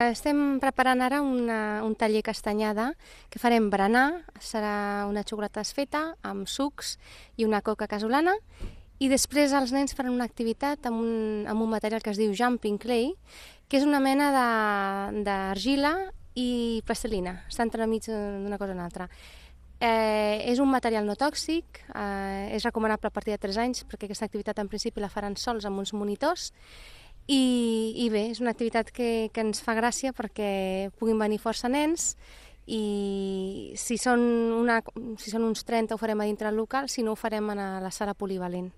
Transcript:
Estem preparant ara un taller castanyada que farem berenar, serà una xocolata desfeta amb sucs i una coca casolana, i després els nens faran una activitat amb un material que es diu Jumping Clay, que és una mena d'argila i plastilina, està entremig d'una cosa o una altra. És un material no tòxic, és recomanable a partir de 3 anys perquè aquesta activitat en principi la faran sols amb uns monitors, i bé, és una activitat que ens fa gràcia perquè puguin venir força nens, i si són uns 30 ho farem a dintre del local, si no ho farem a la sala polivalent.